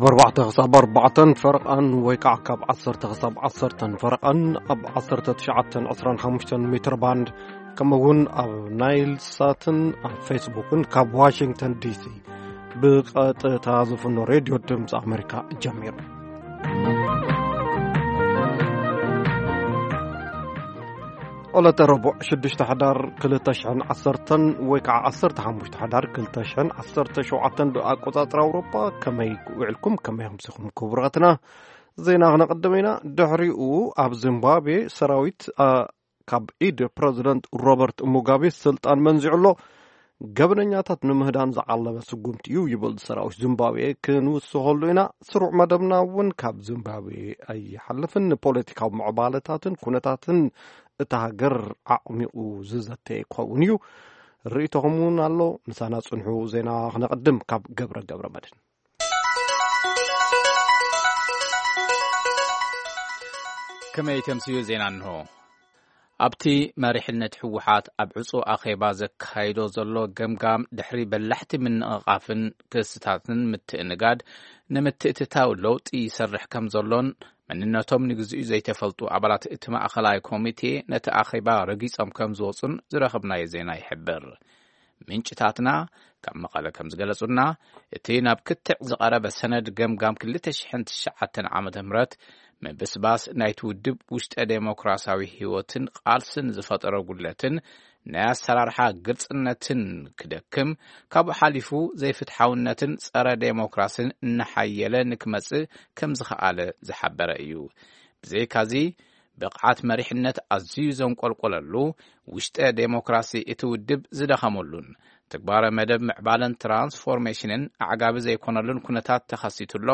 ኣርባዕተ ክሳብ ኣርባዕተን ፈረቓን ወይ ከዓ ካብ ዓሰርተ ክሳብ ዓሰርተን ፈረቓን ኣብ ዓሰርተ ትሽዓተን ዕስራን ሓሙሽተን ሜትር ባንድ፣ ከምኡ እውን ኣብ ናይል ሳትን ኣብ ፌስቡክን ካብ ዋሽንግተን ዲሲ ብቐጥታ ዝፍኖ ሬድዮ ድምፂ ኣሜሪካ ጀሚሩ። ዕለተ ረቡዕ ሽዱሽተ ሕዳር ክልተ ሽሕን ዓሰርተን ወይ ከዓ ዓሰርተ ሓሙሽተ ሕዳር ክልተ ሽሕን ዓሰርተ ሸውዓተን ብኣቆፃፅራ ኣውሮፓ። ከመይ ውዕልኩም፣ ከመይ ኣምሲኹም ክቡራትና? ዜና ክነቐድም ኢና። ድሕሪኡ ኣብ ዚምባብዌ ሰራዊት፣ አ፣ ካብ ኢድ ፕረዚደንት ሮበርት ሙጋቤ ስልጣን መንዚዑ ኣሎ። ገበነኛታት ንምህዳን ዝዓለመ ስጉምቲ እዩ ይብል ሰራዊት ዚምባብዌ። ክንውስኸሉ ኢና። ስሩዕ መደብና እውን ካብ ዚምባብዌ ኣይሓልፍን። ንፖለቲካዊ ምዕባለታትን ኩነታትን እታ ሃገር ኣዕሚቑ ዝዘተ ክኸውን እዩ። ርእይቶኹም እውን ኣሎ። ምሳና ጽንሑ። ዜና ክነቐድም ካብ ገብረ ገብረ መድህን። ከመይ ተምስዩ ዜና እንሆ። ኣብቲ መሪሕነት ህወሓት ኣብ ዕጹ ኣኼባ ዘካይዶ ዘሎ ገምጋም፣ ድሕሪ በላሕቲ ምንቕቓፍን ክስታትን ምትእንጋድ፣ ንምትእትታው ለውጢ ይሰርሕ ከም ዘሎን መንነቶም ንግዚኡ ዘይተፈልጡ ኣባላት እቲ ማእኸላይ ኮሚቴ ነቲ ኣኼባ ረጊጾም ከም ዝወጹን ዝረኸብናዮ ዜና ይሕብር። ምንጭታትና ካብ መቐለ ከም ዝገለጹና፣ እቲ ናብ ክትዕ ዝቐረበ ሰነድ ገምጋም ክልተ ሽሕን ትሽዓተን ዓመተ ምህረት ምብስባስ ናይቲ ውድብ ውሽጠ ዴሞክራሲያዊ ህይወትን ቃልስን ዝፈጠሮ ጉድለትን ናይ ኣሰራርሓ ግልጽነትን ክደክም፣ ካብኡ ሓሊፉ ዘይፍትሓውነትን ጸረ ዴሞክራሲን እናሓየለ ንክመጽእ ከም ዝኸኣለ ዝሓበረ እዩ። ብዘይካዚ፣ ብቕዓት መሪሕነት ኣዝዩ ዘንቆልቆለሉ፣ ውሽጠ ዴሞክራሲ እቲ ውድብ ዝደኸመሉን፣ ትግባረ መደብ ምዕባለን ትራንስፎርሜሽንን ኣዕጋቢ ዘይኮነሉን ኩነታት ተኸሲቱ ኣሎ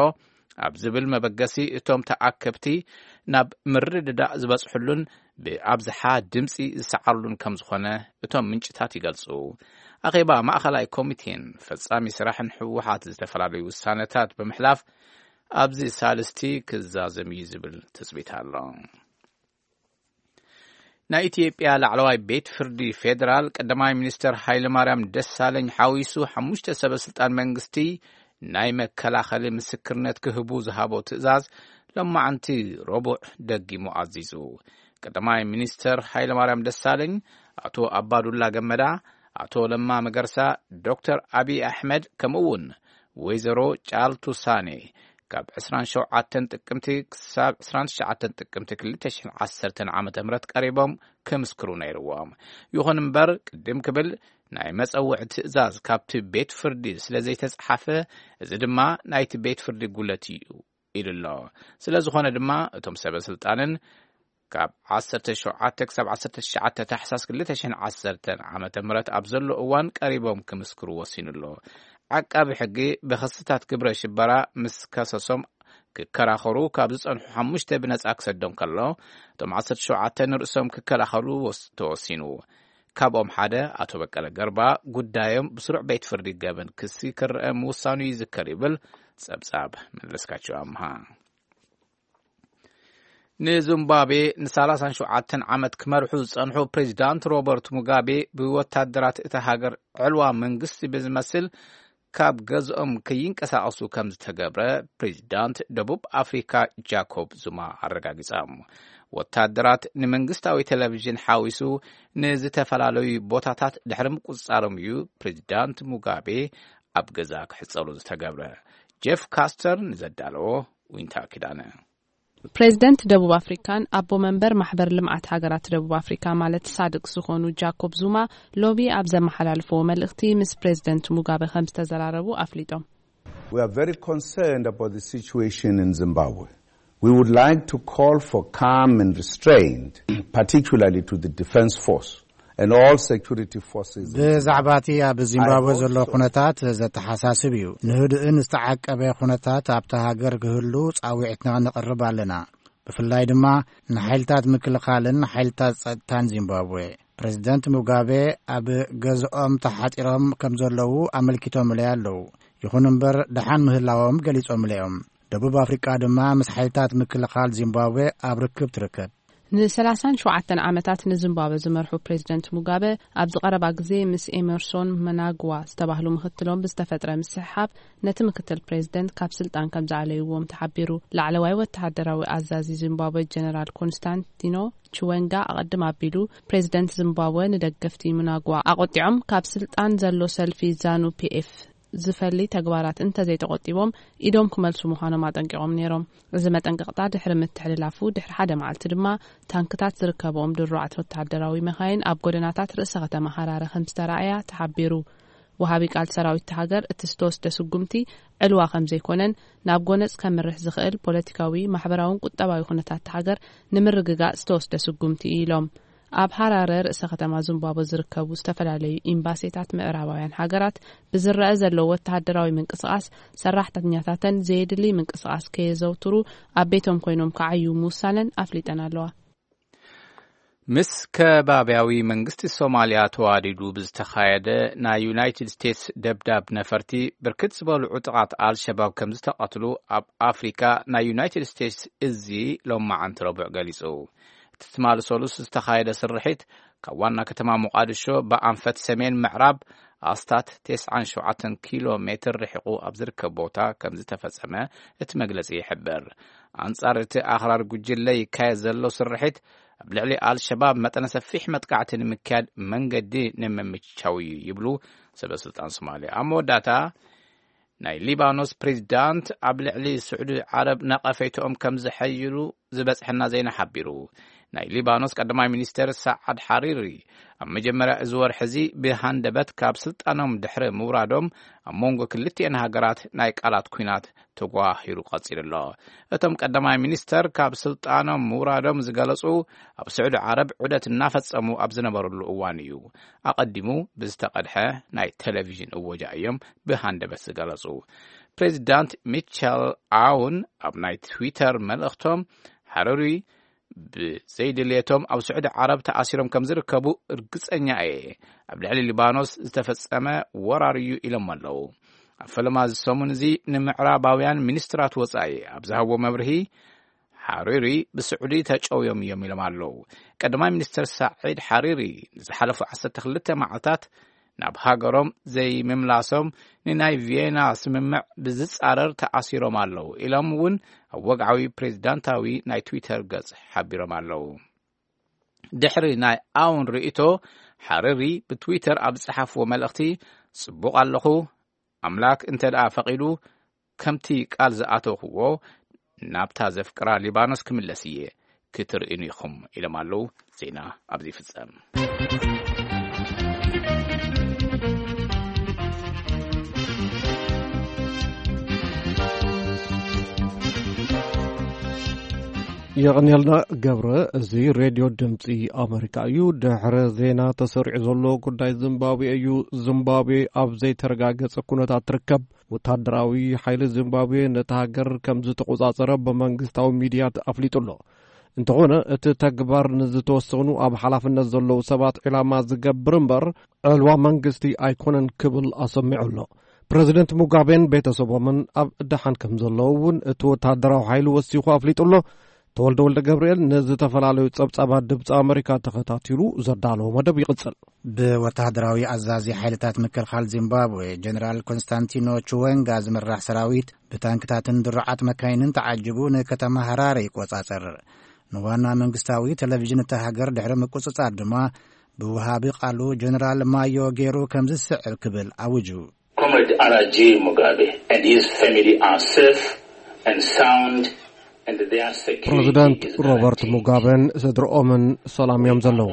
ኣብ ዝብል መበገሲ፣ እቶም ተኣከብቲ ናብ ምርድዳእ ዝበጽሕሉን ብኣብዝሓ ድምጺ ዝሰዓርሉን ከም ዝኾነ እቶም ምንጭታት ይገልጹ። ኣኼባ ማእኸላይ ኮሚቴን ፈጻሚ ስራሕን ህወሓት ዝተፈላለዩ ውሳነታት ብምሕላፍ፣ ኣብዚ ሳልስቲ ክዛዘም እዩ ዝብል ትጽቢት ኣሎ። ናይ ኢትዮጵያ ላዕለዋይ ቤት ፍርዲ ፌዴራል ቀዳማይ ሚኒስተር ሃይለማርያም ደሳለኝ ሓዊሱ ሓሙሽተ ሰበ ስልጣን መንግስቲ ናይ መከላኸሊ ምስክርነት ክህቡ ዝሃቦ ትእዛዝ ሎማዓንቲ ረቡዕ ደጊሙ ኣዚዙ። ቀዳማይ ሚኒስተር ሃይለማርያም ደሳለኝ፣ ኣቶ ኣባዱላ ገመዳ፣ ኣቶ ለማ መገርሳ፣ ዶክተር ኣቢይ ኣሕመድ፣ ከምኡ እውን ወይዘሮ ጫልቱ ሳኔ ካብ ዕስራን ሸውዓተን ጥቅምቲ ክሳብ ዕስራን ትሽዓተን ጥቅምቲ ክልተ ሽሕን ዓሰርተን ዓመተ ምህረት ቀሪቦም ክምስክሩ ነይርዎም። ይኹን እምበር፣ ቅድም ክብል ናይ መጸውዒ ትእዛዝ ካብቲ ቤት ፍርዲ ስለ ዘይተጻሓፈ፣ እዚ ድማ ናይቲ ቤት ፍርዲ ጉለት እዩ ኢሉ ኣሎ። ስለ ዝኾነ ድማ፣ እቶም ሰበ ስልጣንን ካብ ዓሰርተ ሸውዓተ ክሳብ ዓሰርተ ትሽዓተ ታሕሳስ ክልተ ሽሕን ዓሰርተን ዓመተ ምህረት ኣብ ዘሎ እዋን ቀሪቦም ክምስክሩ ወሲኑ ኣሎ። ዓቃቢ ሕጊ ብኽስታት ግብረ ሽበራ ምስ ከሰሶም ክከራኸሩ ካብ ዝጸንሑ ሓሙሽተ ብነጻ ክሰዶም ከሎ፣ እቶም ዓሰርተ ሸውዓተ ንርእሶም ክከላኸሉ ወስ-፣ ተወሲኑ። ካብኦም ሓደ ኣቶ በቀለ ገርባ ጉዳዮም ብስሩዕ ቤት ፍርዲ ገበን ክሲ ክረአ ምውሳኑ ይዝከር ይብል ጸብጻብ መለስካቸው ኣምሃ። ንዚምባብዌ ንሰላሳን ሸውዓተን ዓመት ክመርሑ ዝጸንሑ ፕሬዚዳንት ሮበርት ሙጋቤ ብወታደራት እታ ሃገር ዕልዋ መንግስቲ ብዝመስል ካብ ገዝኦም ከይንቀሳቐሱ ከም ዝተገብረ ፕሬዚዳንት ደቡብ ኣፍሪካ ጃኮብ ዙማ ኣረጋጊጾም። ወታደራት ንመንግስታዊ ቴሌቪዥን ሓዊሱ ንዝተፈላለዩ ቦታታት ድሕሪ ምቁጽጻሮም እዩ ፕሬዚዳንት ሙጋቤ ኣብ ገዛ ክሕጸሉ ዝተገብረ። ጄፍ ካስተር ንዘዳለዎ ዊንታ ኪዳነ። ፕሬዚደንት ደቡብ ኣፍሪካን ኣቦ መንበር ማሕበር ልምዓት ሃገራት ደቡብ ኣፍሪካ ማለት ሳድክ ዝኾኑ ጃኮብ ዙማ ሎሚ ኣብ ዘመሓላልፍዎ መልእኽቲ ምስ ፕሬዚደንት ሙጋበ ከም ዝተዘራረቡ ኣፍሊጦም። We are very concerned about the situation in Zimbabwe. We would like to call for calm and restraint, particularly to the defense force and all security forces in ብዛዕባ እቲ ኣብ ዚምባብዌ ዘሎ ኩነታት ዘተሓሳስብ እዩ። ንህዱእን ዝተዓቀበ ኩነታት ኣብታ ሃገር ክህሉ ጻዊዕትና ነቕርብ ኣለና። ብፍላይ ድማ ንሓይልታት ምክልኻልን ሓይልታት ጸጥታን ዚምባብዌ። ፕሬዚደንት ሙጋቤ ኣብ ገዝኦም ተሓጺሮም ከም ዘለዉ ኣመልኪቶምለይ ኣለዉ። ይኹን እምበር ደሓን ምህላዎም ገሊጾምለይ እዮም። ደቡብ ኣፍሪቃ ድማ ምስ ሓይልታት ምክልኻል ዚምባብዌ ኣብ ርክብ ትርከብ። ን ሰላሳን ሸውዓተን ዓመታት ንዚምባብወ ዝመርሑ ፕሬዚደንት ሙጋበ፣ ኣብዚ ቀረባ ግዜ ምስ ኤመርሶን መናግዋ ዝተባህሉ ምክትሎም ብዝተፈጥረ ምስሕሓብ፣ ነቲ ምክትል ፕሬዚደንት ካብ ስልጣን ከም ዝኣለይዎም ተሓቢሩ። ላዕለዋይ ወተሃደራዊ ኣዛዚ ዚምባብወ ጀነራል ኮንስታንቲኖ ችወንጋ ኣቐድም ኣቢሉ፣ ፕሬዚደንት ዚምባብወ ንደገፍቲ ምናግዋ ኣቖጢዖም፣ ካብ ስልጣን ዘሎ ሰልፊ ዛኑ ፒኤፍ ዝፈሊ ተግባራት እንተዘይተቖጢቦም፣ ኢዶም ክመልሱ ምዃኖም ኣጠንቂቖም ነይሮም። እዚ መጠንቀቕታ ድሕሪ ምትሕልላፉ ድሕሪ ሓደ መዓልቲ ድማ፣ ታንክታት ዝርከብኦም ድሩዓት ወተሃደራዊ መኻይን ኣብ ጎደናታት ርእሰ ከተማ ሃራረ ከም ዝተራእያ ተሓቢሩ። ወሃቢ ቃል ሰራዊት ሃገር፣ እቲ ዝተወስደ ስጉምቲ ዕልዋ ከም ዘይኮነን፣ ናብ ጎነጽ ከምርሕ ዝኽእል ፖለቲካዊ፣ ማሕበራውን ቁጠባዊ ኩነታት ሃገር ንምርግጋጽ ዝተወስደ ስጉምቲ እዩ ኢሎም። ኣብ ሃራረ ርእሰ ከተማ ዚምባብወ ዝርከቡ ዝተፈላለዩ ኤምባሲታት ምዕራባውያን ሃገራት፣ ብዝረአ ዘሎ ወተሃደራዊ ምንቅስቓስ፣ ሰራሕተኛታተን ዘየድሊ ምንቅስቓስ ከየዘውትሩ ኣብ ቤቶም ኮይኖም ክዓዩ ምውሳነን ኣፍሊጠን ኣለዋ። ምስ ከባብያዊ መንግስቲ ሶማልያ ተዋዲዱ ብዝተኻየደ ናይ ዩናይትድ ስቴትስ ደብዳብ ነፈርቲ፣ ብርክት ዝበሉ ዕጡቓት ኣልሸባብ ከም ዝተቐትሉ ኣብ ኣፍሪካ ናይ ዩናይትድ ስቴትስ እዚ ሎማዓንቲ ረቡዕ ገሊጹ። እቲ ትማሊ ሰሉስ ዝተኻየደ ስርሒት፣ ካብ ዋና ከተማ ሞቃዲሾ ብኣንፈት ሰሜን ምዕራብ ኣስታት ተስዓን ሸውዓተን ኪሎ ሜትር ርሒቑ ኣብ ዝርከብ ቦታ ከም ዝተፈጸመ እቲ መግለጺ ይሕብር። ኣንጻር እቲ ኣኽራሪ ጉጅለ ይካየድ ዘሎ ስርሒት፣ ኣብ ልዕሊ ኣልሸባብ መጠነ ሰፊሕ መጥቃዕቲ ንምክያድ መንገዲ ንምምቻው እዩ ይብሉ ሰበ ስልጣን ሶማልያ። ኣብ መወዳእታ፣ ናይ ሊባኖስ ፕሬዚዳንት ኣብ ልዕሊ ስዑዲ ዓረብ ነቐፌትኦም ከም ዝሐይሉ ዝበጽሐና ዜና ሓቢሩ። ናይ ሊባኖስ ቀዳማይ ሚኒስተር ሳዓድ ሓሪሪ፣ ኣብ መጀመርያ እዚ ወርሒ እዚ ብሃንደበት ካብ ስልጣኖም ድሕሪ ምውራዶም፣ ኣብ መንጎ ክልቲኤን ሃገራት ናይ ቃላት ኲናት ተጓሂሩ ቀጺሉ ኣሎ። እቶም ቀዳማይ ሚኒስተር ካብ ስልጣኖም ምውራዶም ዝገለጹ፣ ኣብ ስዑዲ ዓረብ ዑደት እናፈጸሙ ኣብ ዝነበሩሉ እዋን እዩ። ኣቐዲሙ ብዝተቐድሐ ናይ ቴሌቪዥን እወጃ እዮም ብሃንደበት ዝገለጹ። ፕሬዚዳንት ሚቸል ዓውን ኣብ ናይ ትዊተር መልእኽቶም፣ ሓረሪ ብዘይድልየቶም ኣብ ስዑዲ ዓረብ ተኣሲሮም ከም ዝርከቡ እርግጸኛ እየ። ኣብ ልዕሊ ሊባኖስ ዝተፈጸመ ወራር እዩ ኢሎም ኣለዉ። ኣብ ፈለማ እዚ ሰሙን እዚ ንምዕራባውያን ሚኒስትራት ወጻኢ ኣብ ዝሃብዎ መብርሂ፣ ሓሪሪ ብስዑዲ ተጨውዮም እዮም ኢሎም ኣለዉ። ቀዳማይ ሚኒስትር ሳዒድ ሓሪሪ ንዝሓለፉ ዓሰርተ ክልተ መዓልታት ናብ ሃገሮም ዘይምምላሶም ንናይ ቪየና ስምምዕ ብዝጻረር ተኣሲሮም ኣለዉ ኢሎም እውን ኣብ ወግዓዊ ፕሬዚዳንታዊ ናይ ትዊተር ገጽ ሓቢሮም ኣለዉ። ድሕሪ ናይ ኣውን ርእይቶ፣ ሓሪሪ ብትዊተር ኣብ ዝጸሓፍዎ መልእኽቲ፣ ጽቡቕ ኣለኹ፣ ኣምላክ እንተ ደኣ ፈቒዱ፣ ከምቲ ቃል ዝኣተኹዎ፣ ናብታ ዘፍቅራ ሊባኖስ ክምለስ እየ፣ ክትርእዩኒ ኢኹም ኢሎም ኣለዉ። ዜና ኣብዚ ይፍጸም። የቐንየልና ገብረ። እዚ ሬድዮ ድምፂ ኣመሪካ እዩ። ድሕሪ ዜና ተሰሪዑ ዘሎ ጉዳይ ዚምባብዌ እዩ። ዚምባብዌ ኣብ ዘይተረጋገጸ ኩነታት ትርከብ። ወታደራዊ ሓይሊ ዚምባብዌ ነታ ሃገር ከም ዝተቖጻጸረ ብመንግስታዊ ሚድያት ኣፍሊጡ ኣሎ። እንተኾነ፣ እቲ ተግባር ንዝተወሰኑ ኣብ ሓላፍነት ዘለዉ ሰባት ዒላማ ዝገብር እምበር፣ ዕልዋ መንግስቲ ኣይኮነን ክብል ኣሰሚዑ ኣሎ። ፕረዚደንት ሙጋቤን ቤተሰቦምን ኣብ ደሓን ከም ዘለዉ እውን እቲ ወታደራዊ ሓይሊ ወሲኹ ኣፍሊጡ ኣሎ። ተወልደ ወልደ ገብርኤል ንዝተፈላለዩ ጸብጻባት ድምፂ ኣመሪካ ተኸታቲሉ ዘዳለዎ መደብ ይቕጽል። ብወተሃደራዊ ኣዛዚ ሓይልታት ምክልኻል ዚምባብዌ ጀነራል ኮንስታንቲኖ ቹወንጋ ዝምራሕ ሰራዊት ብታንክታትን ድሩዓት መካይንን ተዓጅቡ ንከተማ ሃራረ ይቆጻጸር። ንዋና መንግስታዊ ቴሌቪዥን እታ ሃገር ድሕሪ ምቁጽጻር ድማ ብወሃቢ ቃሉ ጀነራል ማዮ ገይሩ ከም ዝስዕብ ክብል ኣውጁ። Comrade R G Mugabe and his family are safe and sound, and their security ፕረዚደንት is ሮበርት guaranteed. ሙጋበን ስድርኦምን ሰላም እዮም ዘለዉ።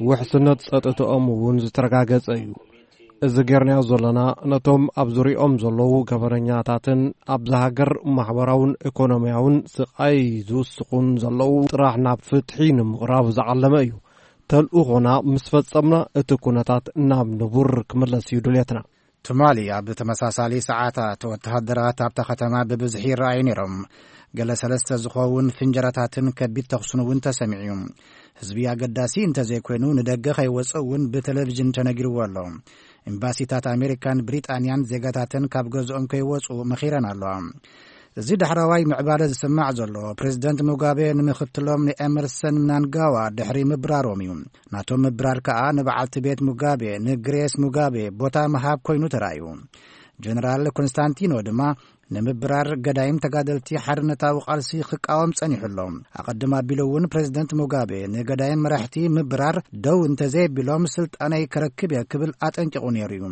ውሕስነት ጸጥትኦም እውን ዝተረጋገጸ እዩ። እዚ ጌርናዮ ዘለና፣ ነቶም ኣብ ዙሪኦም ዘለዉ ገበነኛታትን ኣብዛ ሃገር ማሕበራውን ኢኮኖሚያውን ስቓይ ዝውስኹን ዘለዉ ጥራሕ ናብ ፍትሒ ንምቕራብ ዝዓለመ እዩ። ተልእኾና ምስ ፈጸምና፣ እቲ ኩነታት ናብ ንቡር ክምለስ እዩ ድልየትና። ትማሊ ኣብ ተመሳሳሊ ሰዓታት፣ ወተሃደራት ኣብታ ከተማ ብብዝሒ ይረኣዩ ነይሮም። ገለ ሰለስተ ዝኸውን ፍንጀራታትን ከቢድ ተኹስን እውን ተሰሚዑ እዩ። ህዝቢ ኣገዳሲ እንተዘይኮይኑ ንደገ ከይወጽእ እውን ብቴሌቪዥን ተነጊርዎ ኣሎ። ኤምባሲታት ኣሜሪካን ብሪጣንያን ዜጋታተን ካብ ገዝኦም ከይወጹ መኺረን ኣለዋ። እዚ ዳሕረዋይ ምዕባለ ዝስማዕ ዘሎ፣ ፕሬዚደንት ሙጋቤ ንምኽትሎም ንኤመርሰን ምናንጋዋ ድሕሪ ምብራሮም እዩ። ናቶም ምብራር ከኣ ንበዓልቲ ቤት ሙጋቤ፣ ንግሬስ ሙጋቤ፣ ቦታ ምሃብ ኮይኑ ተራእዩ። ጀነራል ኮንስታንቲኖ ድማ ንምብራር ገዳይም ተጋደልቲ ሓርነታዊ ቃልሲ ክቃወም ጸኒሑ ኣሎ። ኣቐድም ኣቢሉ እውን ፕሬዚደንት ሙጋቤ ንገዳይም መራሕቲ ምብራር ደው እንተዘየቢሎም ስልጣነይ ከረክብ እየ ክብል ኣጠንቂቑ ነይሩ እዩ።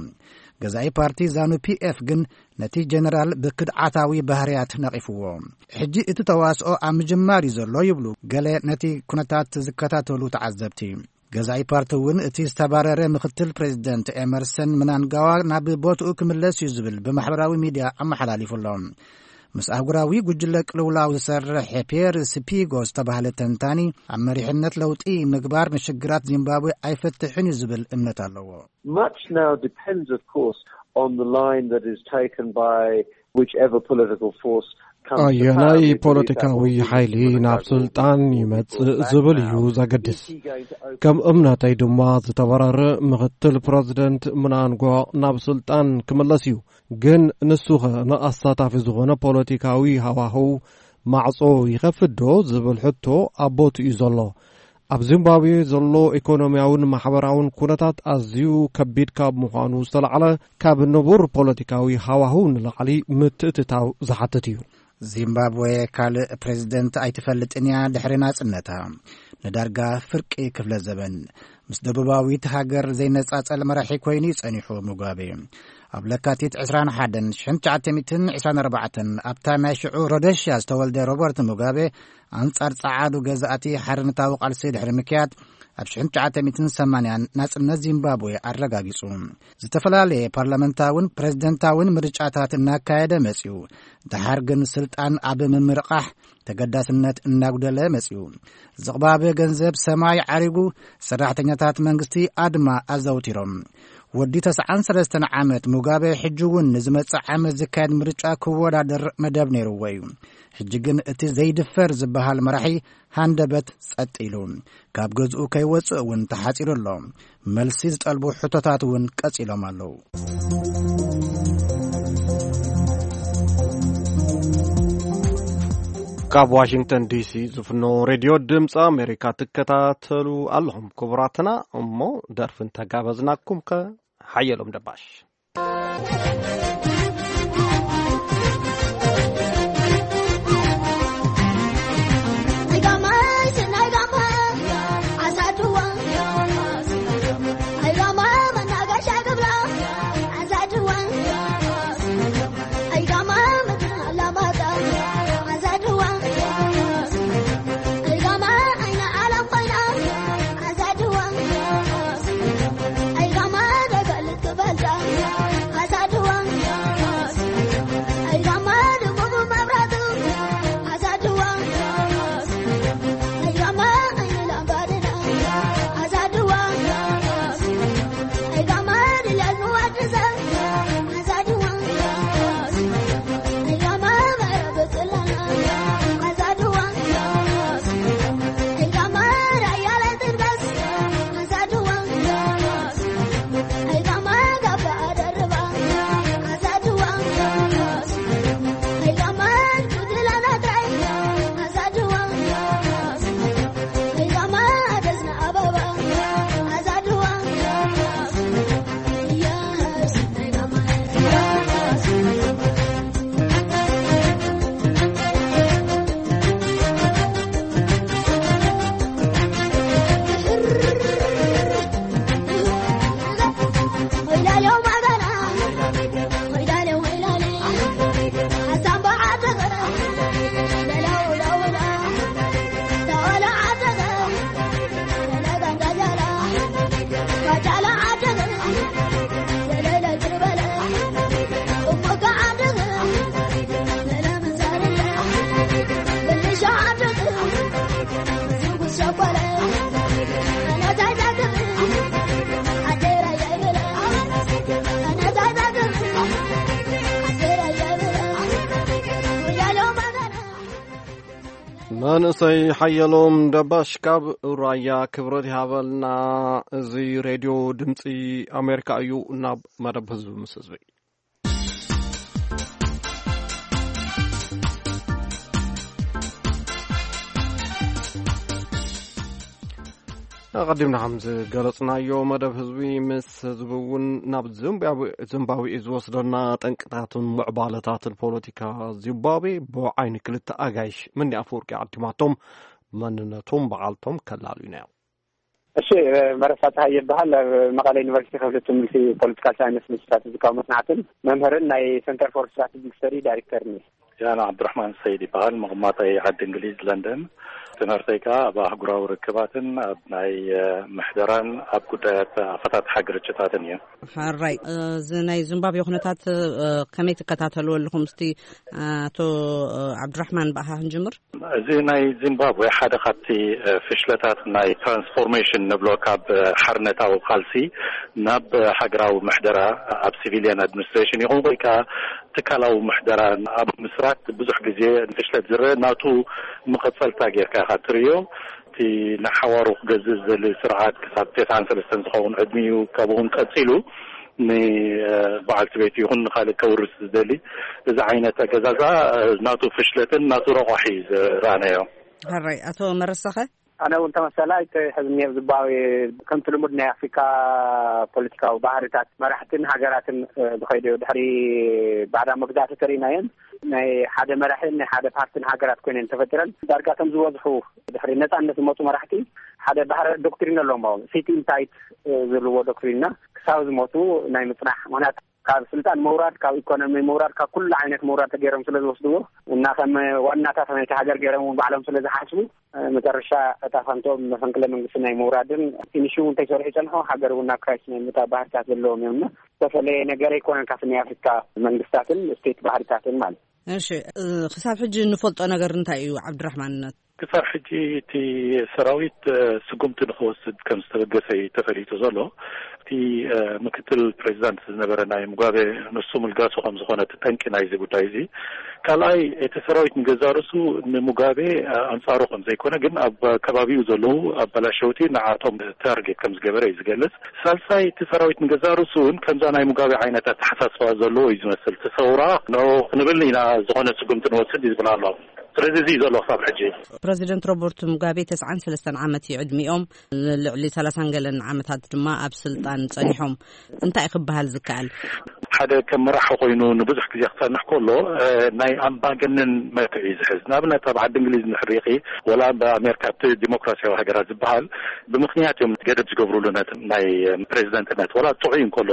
ገዛኢ ፓርቲ ዛኑ ፒኤፍ ግን ነቲ ጀነራል ብክድዓታዊ ባህርያት ነቒፍዎ። ሕጂ እቲ ተዋስኦ ኣብ ምጅማር እዩ ዘሎ ይብሉ ገለ ነቲ ኩነታት ዝከታተሉ ተዓዘብቲ። ገዛኢ ፓርቲ እውን እቲ ዝተባረረ ምኽትል ፕሬዚደንት ኤመርሰን ምናንጋዋ ናብ ቦትኡ ክምለስ እዩ ዝብል ብማሕበራዊ ሚድያ ኣመሓላሊፉ ኣሎ። ምስ ኣህጉራዊ ጉጅለ ቅልውላው ዝሰርሕ ፒየር ስፒጎ ዝተባህለ ተንታኒ፣ ኣብ መሪሕነት ለውጢ ምግባር ንሽግራት ዚምባብዌ ኣይፈትሕን እዩ ዝብል እምነት ኣለዎ። Much now depends, of course, on the line that is taken by whichever political force comes to ኣየናይ power. If it is ፖለቲካዊ Abdul ሓይሊ Abdul ናብ Abdul ስልጣን Abdul ይመጽእ Abdul ዝብል እዩ Abdul ዘገድስ። Is he going to open ከም እምነተይ ድማ ዝተባረረ ምኽትል ፕረዚደንት ምናንጓ ናብ ስልጣን ክምለስ እዩ። ግን ንሱኸ ንኣሳታፊ ዝኾነ ፖለቲካዊ ሃዋህው ማዕጾ ይኸፍት ዶ ዝብል ሕቶ ኣብ ቦትኡ እዩ ዘሎ። ኣብ ዚምባብዌ ዘሎ ኢኮኖሚያውን ማሕበራውን ኩነታት ኣዝዩ ከቢድ ካብ ምዃኑ ዝተላዕለ፣ ካብ ንቡር ፖለቲካዊ ሃዋህው ንላዕሊ ምትእትታው ዝሓትት እዩ። ዚምባብዌ ካልእ ፕሬዚደንት ኣይትፈልጥን እያ ድሕሪ ናጽነታ። ንዳርጋ ፍርቂ ክፍለ ዘበን ምስ ደቡባዊት ሃገር ዘይነጻጸል መራሒ ኮይኑ እዩ ጸኒሑ ሙጋቤ። ኣብ ለካቲት ዕስራን ሓደን ሽሕን ትሽዓተ ሚእትን ዕስራን ኣርባዕተን ኣብታ ናይ ሽዑ ሮደሽያ ዝተወልደ ሮበርት ሙጋቤ ኣንጻር ጸዓዱ ገዛእቲ ሓርነታዊ ቃልሲ ድሕሪ ምክያድ ኣብ ሽሕን ትሽዓተ ሚእትን ሰማንያን ናጽነት ዚምባብዌ ኣረጋጊጹ። ዝተፈላለየ ፓርላመንታውን ፕሬዝደንታውን ምርጫታት እናካየደ መጺኡ። ደሓር ግን ስልጣን ኣብ ምምርቓሕ ተገዳስነት እናጉደለ መጺኡ። ዝቕባበ ገንዘብ ሰማይ ዓሪጉ፣ ሰራሕተኛታት መንግስቲ ኣድማ ኣዘውቲሮም። ወዲ ተስዓን ሰለስተን ዓመት ሙጋበ ሕጂ እውን ንዝመጽእ ዓመት ዝካየድ ምርጫ ክወዳደር መደብ ነይርዎ እዩ። ሕጂ ግን እቲ ዘይድፈር ዝበሃል መራሒ ሃንደበት ጸጥ ኢሉ። ካብ ገዝኡ ከይወጽእ እውን ተሓጺሩ ኣሎ። መልሲ ዝጠልቡ ሕቶታት እውን ቀጺሎም ኣለዉ። ካብ ዋሽንግተን ዲሲ ዝፍኖ ሬድዮ ድምፂ ኣሜሪካ ትከታተሉ ኣለኹም ክቡራትና። እሞ ደርፊ እንተጋበዝናኩም ከ ሓየሎም ደባሽ። መንእሰይ ሓየሎም ደባሽ ካብ ራያ ክብረት ይሃበልና። እዚ ሬድዮ ድምፂ ኣሜሪካ እዩ። ናብ መደብ ህዝቢ ምስ ህዝቢ። ኣቐዲምና ከም ዝገለጽናዮ፣ መደብ ህዝቢ ምስ ህዝቢ እውን ናብ ዚምባብዌ፣ ዚምባብዌ እዩ ዝወስደና። ጠንቅታትን ምዕባለታትን ፖለቲካ ዚምባብዌ ብዓይኒ ክልተ ኣጋይሽ፣ መኒ ኣፈወርቂ ዓዲማቶም፣ መንነቶም በዓልቶም ከላልዩና እዮም። እሺ፣ መረሳ ጸሃይ ይበሃል። ኣብ መቐለ ዩኒቨርሲቲ ክፍሊ ትምህርቲ ፖለቲካል ሳይንስ ስትራቴጂካዊ መጽናዕትን መምህርን ናይ ሰንተር ፎር ስትራቴጂክ ስተዲ ዳይሬክተርን እየ። ያን ዓብዱራሕማን ሰይድ ይበሃል። መቐማጠይ ዓዲ እንግሊዝ ለንደን። ትምህርተይ ከኣ ኣብ ኣህጉራዊ ርክባትን ኣብ ናይ፣ እ፣ ምሕደራን ኣብ ጉዳያት ኣፈታትሓ ግርጭታትን እዩ። ሕራይ፣ እ፣ እዚ ናይ ዚምባብዌ ኩነታት፣ እ፣ ከመይ ትከታተልዎ ኣለኹም? እስቲ ኣቶ፣ እ፣ ዓብዱራሕማን ብኣኻ ክንጅምር። እዚ ናይ ዚምባብዌ ሓደ ካብቲ፣ እ፣ ፍሽለታት ናይ ትራንስፎርሜሽን ንብሎ፣ ካብ፣ እ፣ ሓርነታዊ ቃልሲ ናብ፣ እ፣ ሃገራዊ ምሕደራ ኣብ ሲቪሊያን ኣድሚኒስትሬሽን ይኹን ወይ ከኣ ትካላዊ ምሕደራ ኣብ ምስራት ብዙሕ ግዜ ፍሽለት ዝረአ ናቱ መቐጸልታ ጌርካ ኢኻ ትርእዮ። እቲ ንሓዋሩ ክገዝእ ዝደሊ ስርዓት ክሳብ ተስዓን ሰለስተን ዝኸውን ዕድሚኡ ካብኡውን ቀጺሉ ን-፣ በዓልቲ ቤቱ ይኹን ንኻልእ ከውርስ ዝደሊ እዚ ዓይነት ኣገዛዝኣ ናቱ ፍሽለትን ናቱ ረቋሒ ዝረኣናዮ። ሕራይ፣ ኣቶ መረሳኸ? ኣነ እውን ተመሰላ ኣይተ ሕዝኒ ኣብ ዝባዊ ከምቲ ልሙድ ናይ ኣፍሪካ ፖለቲካዊ ባህርታት መራሕትን ሃገራትን፣ እ፣ ዝኸይዱ ድሕሪ ባዕዳ መግዛእቲ ተሪእናየን ናይ ሓደ መራሕን ናይ ሓደ ፓርትን ሃገራት ኮይነን ተፈጢረን ዳርጋ ከም ዝበዝሑ ድሕሪ ነፃነት ዝመፁ መራሕቲ ሓደ ባህረ ዶክትሪን ኣለዎም። ሲት ኢን ታይት፣ እ፣ ዝብልዎ ዶክትሪንና ክሳብ ዝሞቱ ናይ ምፅናሕ ምክንያት ካብ ስልጣን ምውራድ፣ ካብ ኢኮኖሚ ምውራድ፣ ካብ ኩሉ ዓይነት ምውራድ ተገይሮም ስለ ዝወስድዎ እና ከም ዋናታት ናይቲ ሃገር ገይሮም እውን ባዕሎም ስለ ዝሓስቡ፣ እ፣ መጨረሻ እጣ ፈንቶም መፈንቅለ መንግስቲ ናይ ምውራድን ፊኒሽ እውን እንተይሰርሑ ይጸንሑ፣ ሃገር እውን ናብ ክራይስ ናይ ምእታው ባህርታት ዘለዎም እዮም እና ዝተፈለየ ነገር ኣይኮነን ካብቲ ናይ ኣፍሪካ መንግስታትን ስቴት ባህርታትን ማለት። እሺ፣ እ፣ ክሳብ ሕጂ እንፈልጦ ነገር እንታይ እዩ ዓብድራሕማን? ክሳብ ሕጂ እቲ ሰራዊት፣ እ፣ ስጉምቲ ንክወስድ ከም ዝተበገሰ እዩ ተፈሊጡ ዘሎ። እቲ፣ እ፣ ምክትል ፕሬዚዳንት ዝነበረ ናይ ሙጋቤ ንሱ ምልጋሱ ከም ዝኾነ እቲ ጠንቂ ናይዚ ጉዳይ እዚ። ካልኣይ፣ እቲ ሰራዊት ንገዛ ርእሱ ንሙጋቤ፣ እ፣ ኣንጻሩ ከም ዘይኮነ ግን ኣብ ከባቢኡ ዘለዉ ኣበላሸውቲ ንዓቶም ታርጌት ከም ዝገበረ እዩ ዝገልጽ። ሳልሳይ፣ እቲ ሰራዊት ንገዛ ርእሱ እውን ከምዛ ናይ ሙጋቤ ዓይነት ኣተሓሳስባ ዘለዎ እዩ ዝመስል። እቲ ሰውራ ንኡ ክንብል ኢና ዝኾነ ስጉምቲ ንወስድ እዩ ዝብል ኣሎ። ስለዚ እዚ እዩ ዘሎ ክሳብ ሕጂ። ፕረዚደንት ሮበርት ሙጋቤ ተስዓን ሰለስተን ዓመት እዩ ዕድሚኦም። ንልዕሊ ሰላሳን ገለን ዓመታት ድማ ኣብ ስልጣን ጸኒሖም። እንታይ ክበሃል ዝከኣል? ሓደ ከም መራሒ ኮይኑ ንብዙሕ ግዜ ክጸንሕ ከሎ፣ እ፣ ናይ ኣምባገነን መልክዕ እዩ ዝሕዝ። ንኣብነት ኣብ ዓዲ እንግሊዝ እንድሕር ሪኢኺ፣ ወላ ኣብ ኣሜሪካ እቲ ዲሞክራሲያዊ ሃገራት ዝበሃል ብምኽንያት እዮም ገደብ ዝገብሩሉ ነቲ ናይ ፕሬዚደንትነት። ወላ ጥዑይ እንከሎ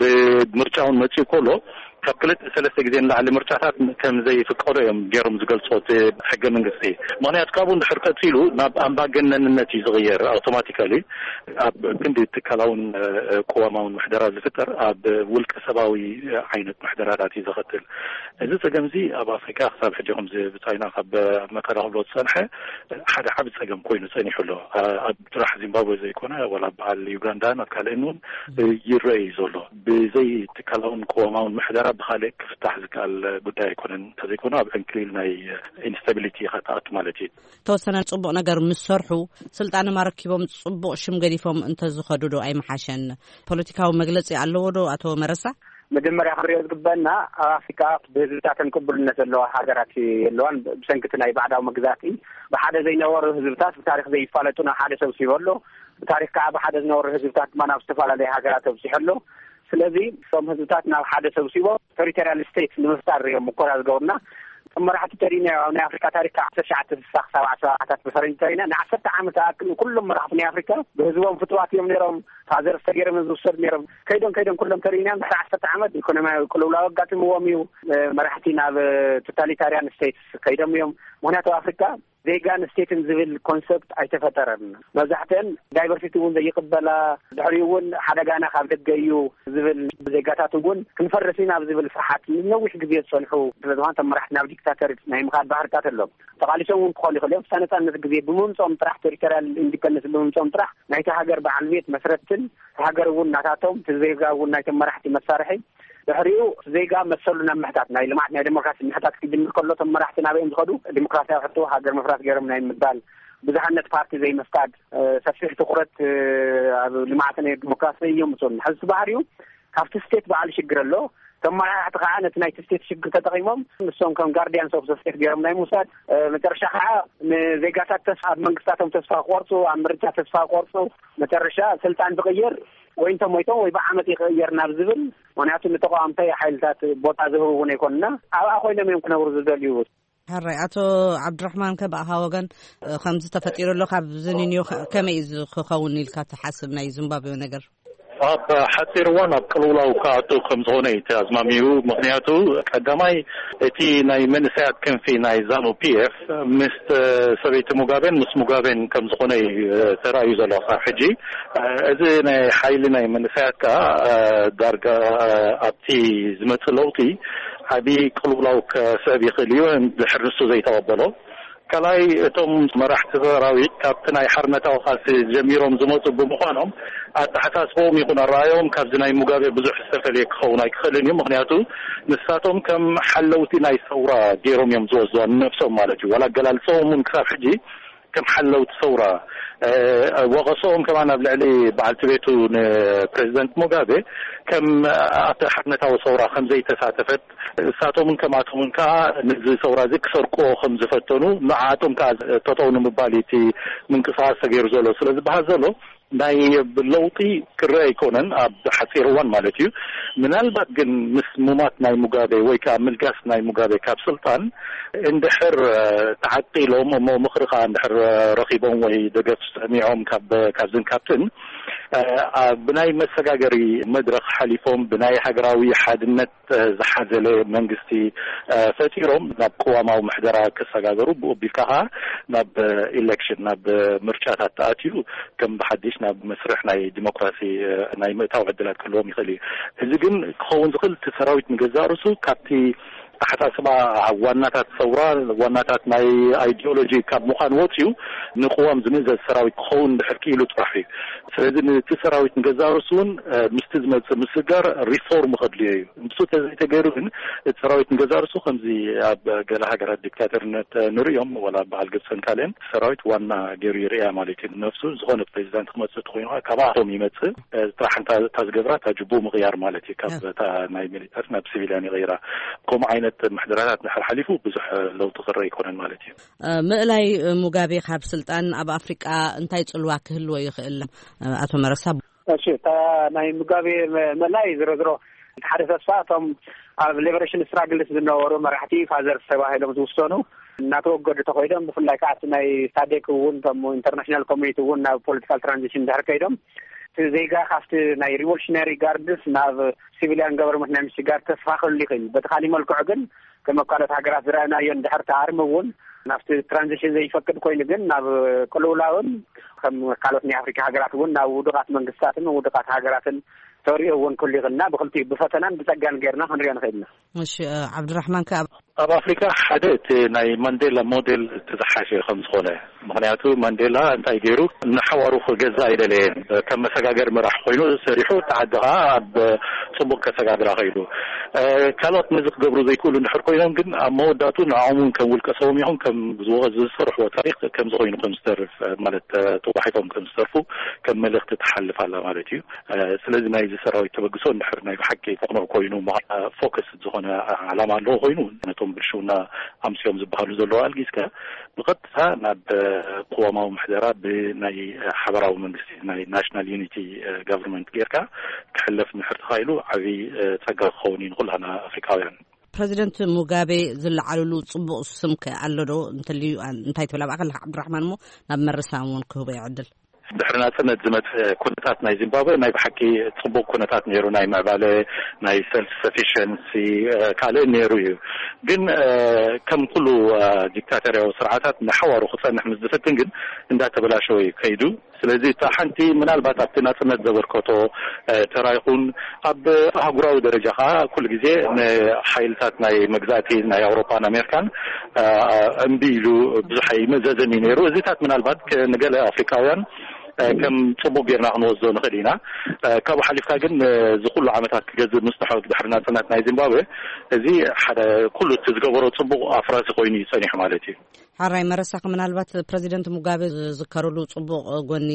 ብምርጫ እውን መፂኡ ከሎ ካብ ክልተ ሰለስተ ግዜ ንላዕሊ ምርጫታት ከም ዘይፍቀዶ እዮም ገይሮም ዝገልፅዎ እቲ ሕገ መንግስቲ። ምኽንያቱ ካብኡ እንድሕር ቀፂሉ ናብ ኣምባገነንነት እዩ ዝቕየር ኣውቶማቲካሊ። ኣብ ክንዲ ትካላውን፣ እ፣ ቅዋማውን ምሕደራ ዝፍጠር ኣብ ውልቀ ሰባዊ ዓይነት ምሕደራታት እዩ ዘኸትል። እዚ ጸገም እዚ ኣብ ኣፍሪካ ክሳብ ሕጂ ከምዚ ብጻይና ካብ መከራ ክብሎ ዝጸንሐ ሓደ ዓቢ ጸገም ኮይኑ ጸኒሑ ኣሎ። ኣ-፣ ኣብ ጥራሕ ዚምባብዌ ዘይኮነ፣ ዋላ በዓል ዩጋንዳን ኣብ ካልእን እውን ይረአ እዩ ዘሎ። ብዘይ ትካላውን ቅዋማውን ምሕደራ ብኻልእ ክፍታሕ ዝከኣል ጉዳይ ኣይኮነን። እንተዘይኮነ ኣብ ዕንክሊል ናይ ኢንስታቢሊቲ ኢኻ ትኣቱ ማለት እዩ። ተወሰነ ጽቡቕ ነገር ምስ ሰርሑ፣ ስልጣን ኣረኪቦም ጽቡቕ ሽም ገዲፎም እንተዝኸዱ ዶ ኣይምሓሸን? ፖለቲካዊ መግለጺ ኣለዎ ዶ ኣቶ መረሳ? መጀመርያ ክንሪኦ ዝግበአና፣ ኣብ ኣፍሪካ ብህዝብታተን ቅቡልነት ዘለዋ ሃገራት የለዋን። ብሰንኪ እቲ ናይ ባዕዳዊ መግዛእቲ ብሓደ ዘይነበሩ ህዝብታት ብታሪክ ዘይፋለጡ ናብ ሓደ ሰብሲቡ ኣሎ። ብታሪክ ከዓ ብሓደ ዝነበሩ ህዝብታት ድማ ናብ ዝተፈላለዩ ሃገራት ኣብፂሑ ኣሎ። ስለዚ እቶም ህዝብታት ናብ ሓደ ሰብሲቦም ቴሪቶሪያል ስቴት ንምፍጣር እዮም ሙኮራ ዝገብሩና። እቶም መራሕቲ ተሪእና ኣብ ናይ ኣፍሪካ ታሪክ ካብ ዓሰርተ ትሽዓተ ስሳ ክሳብ ዓሰርተ ኣርባዕታት ብፈረንጂ ተሪእና ንዓሰርተ ዓመት ዝኣክል ኩሎም መራሕቲ ናይ ኣፍሪካ ብህዝቦም ፍትዋት እዮም ነይሮም። ፋዘርስ ተገይሮም እዮም ዝውሰዱ ነይሮም። ከይዶም ከይዶም ኩሎም ተሪእና ድሕሪ ዓሰርተ ዓመት ኢኮኖሚያዊ ቅልውላው ኣጋጢምዎም እዩ። እ፣ መራሕቲ ናብ ቶታሊታሪያን ስቴትስ ከይዶም እዮም። ምክንያቱ ኣብ ኣፍሪካ ዜጋን ስቴትን ዝብል ኮንሰፕት ኣይተፈጠረን። መብዛሕትአን ዳይቨርሲቲ እውን ዘይቅበላ፣ ድሕሪኡ እውን ሓደጋና ካብ ደገ እዩ ዝብል ዜጋታት እውን ክንፈርስ ኢና ኣብ ዝብል ፍርሓት ንነዊሕ ግዜ ዝፀንሑ ስለ ዝኾነ እቶም መራሕቲ ናብ ዲክታተር ናይ ምኻድ ባህርታት ኣሎም። ተቓሊሶም እውን ክኾኑ ይኽእሉ እዮም። ክሳብ ነፃነት ግዜ ብምምፅኦም ጥራሕ፣ ቴሪቶሪያል ኢንዲፐንደንስ ብምምፅኦም ጥራሕ ናይቲ ሃገር በዓል ቤት መስረትን ሃገር እውን ናታቶም፣ እቲ ዜጋ እውን ናይቶም መራሕቲ መሳርሒ። ድሕሪኡ ዜጋ መሰሉ ናብ ምሕታት፣ ናይ ልምዓት ናይ ዴሞክራሲ ምሕታት ክጅምር ከሎ እቶም መራሕቲ ናበይ እዮም ዝኸዱ? ዴሞክራሲያዊ ሕቶ ሃገር ምፍራስ ገይሮም ናይ ምባል፣ ብዙሓነት ፓርቲ ዘይምፍቃድ፣ እ፣ ሰፊሕ ትኹረት፣ እ፣ ኣብ ልምዓትን ዴሞክራሲ እዮም ዝወስዱ። ሕዚ እቲ ባህሪኡ ካብቲ ስቴት በዓል ሽግር ኣሎ፣ ተመራሕቲ ከዓ ነቲ ናይቲ ስቴት ሽግር ተጠቂሞም ንሶም ከም ጋርዲያንስ ኦፍ ዘ ስቴት ገይሮም ናይ ምውሳድ፣ መጨረሻ ከዓ ንዜጋታት ተስፋ ኣብ መንግስታቶም ተስፋ ክቆርፁ፣ ኣብ ምርጫ ተስፋ ክቆርፁ፣ መጨረሻ ስልጣን ትቕይር ወይ እንተሞይቶም ወይ ብዓመት ይቕየር ናብ ዝብል፣ ምክንያቱ ንተቃዋምቲ ሓይልታት ቦታ ዝህቡ እውን ኣይኮንና፣ ኣብኣ ኮይኖም እዮም ክነብሩ ዝደልዩ። ሕራይ ኣቶ ዓብድራሕማን ከ ብኣኻ ወገን ከምዚ ተፈጢሩ ኣሎ ካብዚ ንንዮ ከመይ እዩ ክኸውን ኢልካ ትሓስብ ናይ ዚምባብዌ ነገር? ኣብ ሓፂር እዋን ኣብ ቅልውላው ክኣቱ ከም ዝኾነ እዩ ኣዝማሚኡ። ምክንያቱ ቀዳማይ እቲ ናይ መንእሰያት ክንፊ ናይ ዛኑ ፒ ኤፍ ምስ ሰበይቲ ሙጋቤን ምስ ሙጋቤን ከም ዝኾነ እዩ ተራእዩ ዘሎ ክሳብ ሕጂ። እዚ ናይ ሓይሊ ናይ መንእሰያት ከዓ ዳርጋ ኣብቲ ዝመፅእ ለውጢ ዓብዪ ቅልውላው ከስዕብ ይኽእል እዩ። ድሕር ንሱ ዘይተቐበሎ ካልኣይ እቶም መራሕቲ ሰራዊት ካብቲ ናይ ሓርነታዊ ቃልሲ ጀሚሮም ዝመፁ ብምዃኖም ኣተሓሳስቦም ይኹን ኣረኣዮም ካብዚ ናይ ሙጋቤ ብዙሕ ዝተፈልየ ክኸውን ኣይክኽእልን እዩ። ምክንያቱ ንሳቶም ከም ሓለውቲ ናይ ሰውራ ገይሮም እዮም ዝወስድዋ ንነብሶም ማለት እዩ። ዋላ ኣገላልፀኦም እውን ክሳብ ሕጂ ከም ሓለውቲ ሰውራ ወቐሶኦም ከማን ኣብ ልዕሊ በዓልቲ ቤቱ ንፕሬዚደንት ሙጋቤ ከም ኣብቲ ሓርነታዊ ሰውራ ከም ዘይተሳተፈት እሳቶምን ከምኣቶምን ከዓ ነዚ ሰውራ እዚ ክሰርቅዎ ከም ዝፈተኑ ንዓቶም ከዓ ጠጠው ንምባል እቲ ምንቅስቃስ ተገይሩ ዘሎ ስለ ዝበሃል ዘሎ ናይ ለውጢ ክረአ ኣይኮነን ኣብ ሓፂር እዋን ማለት እዩ። ምናልባት ግን ምስ ሙማት ናይ ሙጋቤ ወይ ከዓ ምልጋስ ናይ ሙጋቤ ካብ ስልጣን እንድሕር ተዓቂሎም እሞ ምኽሪ ከዓ እንድሕር ረኺቦም ወይ ደገፍ ሰሚዖም ካብ ካብዝን ካብትን ብናይ መሰጋገሪ መድረኽ ሓሊፎም ብናይ ሃገራዊ ሓድነት ዝሓዘለ መንግስቲ ፈጢሮም ናብ ቅዋማዊ ምሕደራ ክሰጋገሩ ብኡ ቢልካ ከዓ ናብ ኢሌክሽን ናብ ምርጫታት ተኣትዩ ከም ብሓድሽ ናብ መስርሕ ናይ ዲሞክራሲ ናይ ምእታው ዕድላት ክህልዎም ይኽእል እዩ። እዚ ግን ክኸውን ዝኽእል እቲ ሰራዊት ንገዛእ ርእሱ ካብቲ ኣሓሳስባ ዋናታት ሰውራ ዋናታት ናይ ኣይዲዮሎጂ ካብ ምዃን ወፂኡ ንቅዋም ዝምእዘዝ ሰራዊት ክኸውን ድሕር ክኢሉ ጥራሕ እዩ። ስለዚ ነቲ ሰራዊት ንገዛእ ርእሱ እውን ምስቲ ዝመፅእ ምስጋር ሪፎርም ከድልዮ እዩ። ንሱ ተዘይተገይሩ ግን እቲ ሰራዊት ንገዛእ ርእሱ ከምዚ ኣብ ገለ ሃገራት ዲክታተርነት ንርእዮም ዋላ በዓል ግብፅን ካልእን ሰራዊት ዋና ገይሩ ይርእያ ማለት እዩ። ንነብሱ ዝኾነ ፕሬዚዳንት ክመፅእ ተኮይኑ ከዓ ካብኣቶም ይመፅእ ጥራሕ እንታ ዝገብራ እታ ጅቡ ምቕያር ማለት እዩ። ካብ እታ ናይ ሚሊተሪ ናብ ሲቪልያን ይቕይራ። ከምኡ ዓይነት ምሕደራታት እንድሕር ሓሊፉ ብዙሕ ለውጢ ክረአ ኣይኮነን ማለት እዩ። ምእላይ ሙጋቤ ካብ ስልጣን ኣብ ኣፍሪቃ እንታይ ጽልዋ ክህልዎ ይኽእል? ኣቶ መረሳ። እሺ፣ እታ ናይ ሙጋቤ ምእላይ ዝሮ ዝሮ ሓደ ተስፋ እቶም ኣብ ሊበሬሽን ስትራግልስ ዝነበሩ መራሕቲ ፋዘርስ ተባሂሎም ዝውሰኑ እናተወገዱ ተኮይዶም ብፍላይ ከዓ ናይ ሳዴክ እውን ከም ኢንተርናሽናል ኮሚኒቲ እውን ናብ ፖለቲካል ትራንዚሽን ድሕር ከይዶም እቲ ዜጋ ካብቲ ናይ ሪቮሉሽነሪ ጋርድስ ናብ ሲቪሊያን ገቨርንመንት ናይ ምሽጋር ተስፋ ክህሉ ይኽእል። በቲ ካሊእ መልክዑ ግን ከም ኣብ ካልኦት ሃገራት ዝረኣናዮ እንድሕር ተኣርም እውን ናብቲ ትራንዚሽን ዘይፈቅድ ኮይኑ ግን ናብ ቅልውላውን ከም ካልኦት ናይ ኣፍሪካ ሃገራት እውን ናብ ውዱቃት መንግስታትን ውዱቃት ሃገራትን ተሪኦ እውን ክህሉ ይኽእልና ብክልቲኡ ብፈተናን ብፀጋን ገይርና ክንሪኦ ንኽእልና። እሺ፣ ዓብድራሕማን ከ ኣብ ኣብ ኣፍሪካ ሓደ እቲ ናይ ማንዴላ ሞዴል እቲ ዝሓሸ ከም ዝኾነ ምክንያቱ ማንዴላ እንታይ ገይሩ ንሓዋሩ ክገዛ ኣይደለየን። ከም መሰጋገር መራሕ ኮይኑ ሰሪሑ እቲ ዓዲ ከዓ ኣብ ፅቡቅ ከሰጋግራ ከይዱ ካልኦት ነዚ ክገብሩ ዘይክእሉ እንድሕር ኮይኖም ግን ኣብ መወዳእቱ ንዕኦም እውን ከም ውልቀ ሰቦም ይኹን ከም ዝሰርሕዎ ታሪክ ከም ዝኾይኑ ከም ዝተርፍ ማለት ተዋሒጦም ከም ዝተርፉ ከም መልእክቲ ትሓልፍ ኣላ ማለት እዩ። ስለዚ ናይዚ ሰራዊት ተበግሶ እንድሕር ናይ ብሓቂ ተቕንዕ ኮይኑ ፎከስ ዝኾነ ዓላማ ኣለዎ ኮይኑ ነቶም ብልሽውና ኣምስዮም ዝበሃሉ ዘለዉ ኣልጊስካ ብቐጥታ ናብ ቅዋማዊ ምሕደራ ብናይ ሓበራዊ መንግስቲ ናይ ናሽናል ዩኒቲ ጋቨርንመንት ጌርካ ክሕለፍ እንድሕር ተኻኢሉ ዓብዪ ፀጋ ክኸውን እዩ ንኩላና ኣፍሪካውያን። ፕረዚደንት ሙጋቤ ዝለዓልሉ ፅቡቕ ስም ከ ኣሎ ዶ እንተልዩ እንታይ ትብል? ኣብኣ ከለካ ዓብዱራሕማን እሞ ናብ መረሳ እውን ክህቦ ይዕድል። ድሕሪ ናፅነት ዝመፅእ ኩነታት ናይ ዚምባብወ ናይ ብሓቂ ፅቡቅ ኩነታት ነይሩ። ናይ ምዕባለ ናይ ሰልፍ ሰፊሽንሲ ካልእ ነይሩ እዩ። ግን ከም ኩሉ ዲክታተርያዊ ስርዓታት ንሓዋሩ ክፀንሕ ምስ ዝፍትን ግን እንዳተበላሸወ እዩ ከይዱ። ስለዚ እታ ሓንቲ ምናልባት ኣብቲ ናፅነት ዘበርከቶ ተራ ይኹን ኣብ ኣህጉራዊ ደረጃ ከዓ ኩሉ ግዜ ንሓይልታት ናይ መግዛእቲ ናይ ኣውሮፓን ኣሜሪካን እምቢ ኢሉ ብዙሕ ኣይመዘዘን እዩ ነይሩ። እዚታት ምናልባት ንገለ ኣፍሪካውያን ከም ፅቡቅ ጌርና ክንወስዶ ንኽእል ኢና። ካብኡ ሓሊፍካ ግን እዚ ኩሉ ዓመታት ክገዝእ ምፅንሖ ድሕሪ ናፅነት ናይ ዚምባብዌ እዚ ሓደ ኩሉ እቲ ዝገበሮ ፅቡቅ ኣፍራሲ ኮይኑ እዩ ፀኒሑ ማለት እዩ። ሓራይ መረሳኺ ምናልባት ፕረዚደንት ሙጋቤ ዝዝከርሉ ፅቡቅ ጎኒ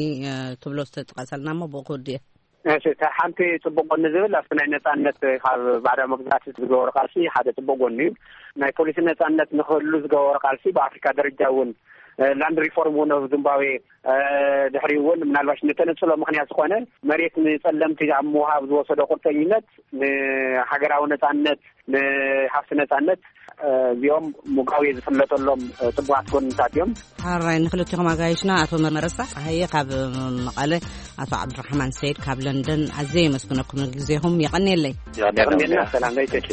ትብሎ ዝተጥቀሰልና እሞ ብኡ ክውድእ እየ። እሺ፣ እታ ሓንቲ ጽቡቅ ጎኒ ዝብል ኣብቲ ናይ ነጻነት ካብ ባዕዳዊ መግዛእቲ ዝገበሩ ቃልሲ ሓደ ጽቡቅ ጎኒ እዩ። ናይ ፖሊሲ ነጻነት ንክህሉ ዝገበሩ ቃልሲ ብኣፍሪካ ደረጃ እውን፣ እ፣ ላንድ ሪፎርም እውን ኣብ ዚምባብዌ፣ እ፣ ድሕሪ እውን ምናልባሽ ንተነጽሎ ምክንያት ዝኾነ መሬት ንጸለምቲ ኣብ ምውሃብ ዝወሰዶ ቁርጠኝነት ንሃገራዊ ነጻነት፣ ንሃፍቲ ነጻነት፣ እ፣ እዚኦም ሙጋቤ ዝፍለጠሎም፣ እ፣ ጽቡቃት ጎንታት እዮም። ሓራይ ንክልቲኹም ኣጋይሽና ኣቶ መረሳ ጸሃየ ካብ መቐለ፣ ኣቶ ዓብዱራሕማን ሰይድ ካብ ለንደን ኣዝየ የመስግነኩም ንግዜኹም። የቐንየለይ። የቐንየልና። ሰላም ለይተኪ።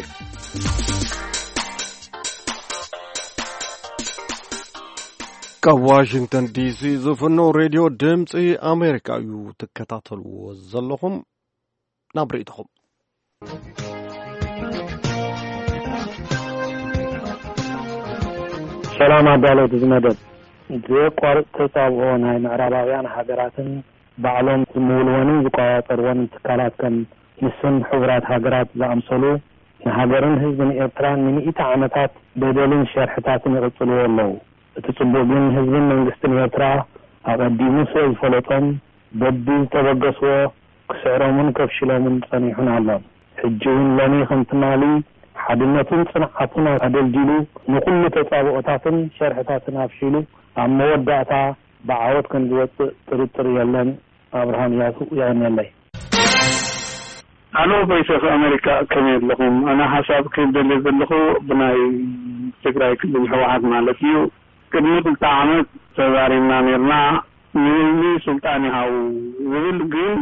ካብ ዋሽንግተን ዲሲ ዝፍኖ ሬድዮ ድምፂ ኣሜሪካ እዩ ትከታተልዎ ዘለኹም። ናብ ርእይቶኹም። ሰላም ኣዳለውቲ እዚ መደብ። ዘየቋርጽ ተጻብኦ ናይ ምዕራባውያን ሃገራትን ባዕሎም ዝምውልወንን ዝቆጻጸርወንን ትካላት ከም ንስን ሕቡራት ሃገራት ዝኣምሰሉ ንሃገርን ህዝብን ኤርትራ ንሚእቲ ዓመታት በደልን ሸርሕታትን ይቕጽልዎ ኣለዉ። እቲ ጽቡቕ ግን ህዝብን መንግስትን ኤርትራ ኣቐዲሙ ስለ ዝፈለጦም በቢ ዝተበገስዎ ክስዕሮምን ከፍሽሎምን ጸኒሑን ኣሎን። ሕጂ እውን ሎሚ ከም ትማሊ ሓድነቱን ጽንዓቱን ኣደልዲሉ ንኹሉ ተጻብኦታትን ሸርሕታትን ኣፍሺሉ ኣብ መወዳእታ ብዓወት ከም ዝወጽእ ጥርጥር የለን። ኣብርሃም ያሱ የቐንየለይ። ኣሎ ቮይስ ኦፍ ኣሜሪካ፣ ከመይ ኣለኹም? ኣነ ሓሳብ ክደሊ ዘለኹ ብናይ ትግራይ ክልል ህወሓት ማለት እዩ። ቅድሚ ክልተ ዓመት ተዛሪብና ነርና፣ ንህዝቢ ስልጣን ይሃቡ ዝብል ግን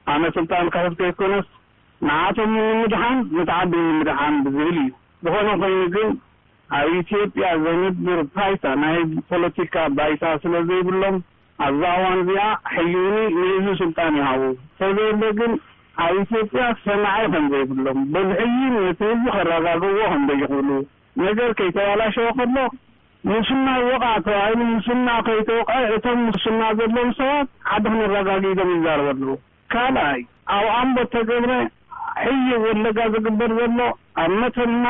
ኣነ ስልጣን ክሕዝ ከይኮነስ ንዓቶም ንምድሓን ነቲ ዓዲ ንምድሓን ብዝብል እዩ። ዝኾነ ኮይኑ ግን ኣብ ኢትዮጵያ ዘንብር ባይታ ናይ ፖለቲካ ባይታ ስለ ዘይብሎም ኣብዛ እዋን እዚኣ ሕዩኒ ንህዝቢ ስልጣን ይሃቡ፣ ተዘየለ ግን ኣብ ኢትዮጵያ ሰማዒ ከም ዘይብሎም በዚ ሕዩን ነቲ ህዝቢ ከረጋግዎ ከም ዘይኽእሉ ነገር ከይተባላሸወ ከሎ ሙስና ይወቕዓ ተባሂሉ ሙስና ከይተወቕዐ እቶም ሙስና ዘለዎም ሰባት ሓደ ክነረጋግእ ኢሎም ይዛረቡ ኣለዉ። ካልኣይ ኣብ ኣምቦ ተገብረ ሕዩ ወለጋ ዝግበር ዘሎ ኣብ መተማ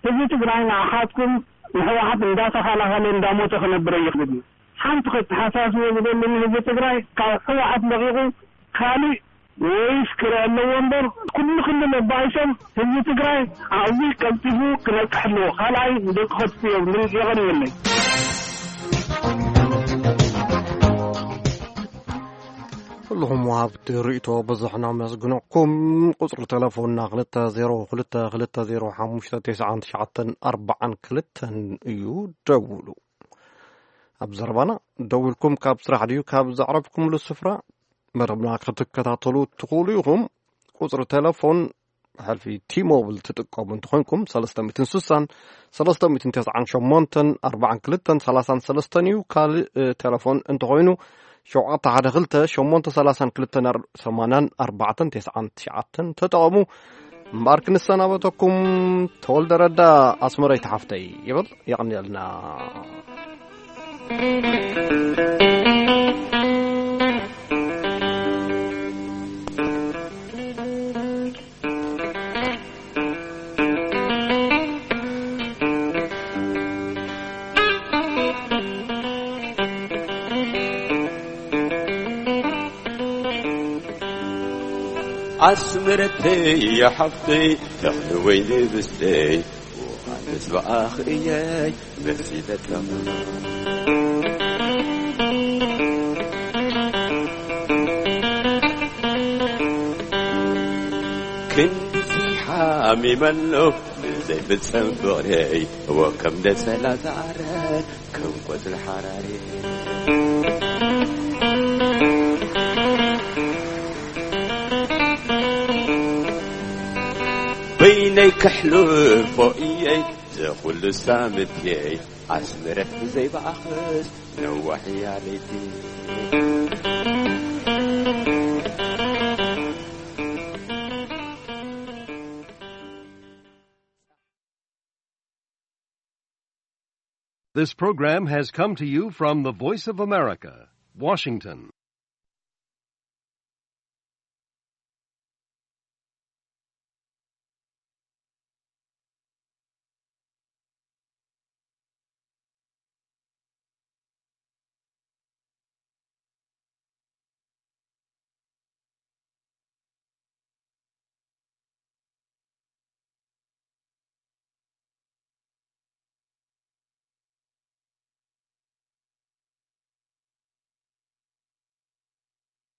ህዝቢ ትግራይ ንዓኻትኩም ንሕወሓት እንዳተኸላኸለ እንዳሞተ ክነብር ይኽእል እዩ። ሓንቲ ከተሓሳስቦ ዝደሊ ንህዝቢ ትግራይ ካብ ሕወሓት ለቒቑ ካልእ ወይስ ክርኢ ኣለዎ እምበር ኩሉ ክልል ኣባኢሶም ህዝቢ ትግራይ ኣብዚ ቀልጢፉ ክነቅሕ ኣለዎ። ካልኣይ ደቂ ከጥፉ እዮም። የቐንየለይ። ኩልኹም ወሃብቲ ርእይቶ ብዙሕ ነመስግነኩም። ቁጽሪ ተለፎንና ክልተ ዜሮ ክልተ ክልተ ዜሮ ሓሙሽተ ተስዓን ትሽዓተን ኣርባዓን ክልተን እዩ። ደውሉ። ኣብ ዘረባና ደዊልኩም ካብ ስራሕ ድዩ ካብ ዘዕረፍኩምሉ ስፍራ መደብና ክትከታተሉ ትኽእሉ ኢኹም። ቁጽሪ ተለፎን ብሕልፊ ቲ-ሞብል ትጥቀሙ እንተኾይንኩም ሰለስተ ሚእትን ስሳን ሰለስተ ሚእትን ተስዓን ሸሞንተን ኣርባዓን ክልተን ሰላሳን ሰለስተን እዩ። ካልእ፣ እ፣ ተለፎን እንተኾይኑ ሸውዓተ ሓደ ክልተ ሸሞንተ ሰላሳን ክልተን ሰማንያን ኣርባዕተን ተስዓን ትሽዓተን ተጠቐሙ። እምበኣር ክንሰናበተኩም ተወልደ ረዳ ኣስመረይቲ ሓፍተይ ይብል። የቐንየልና። ኣስመረተይ ሓፍተይ ተኽሊ ወይኒ ብስተይ ዮሃንስ ብኣኽ እየይ መሲለትም። ክንድዚ ሓሚመ ኣለኹ ንዘይፍጸም ፍቕረይ፣ እወ ከም ደሰላ ዝዓረ ከም ቆጽሊ ሓራሪ። በይነይ ከሕልፎ እየይ ዘኹሉ ሳምንትየይ፣ ኣስመረት ብዘይ ብኣኽስ ነዋሕ እያ ለይቲ። This program has come to you from the Voice of America, Washington.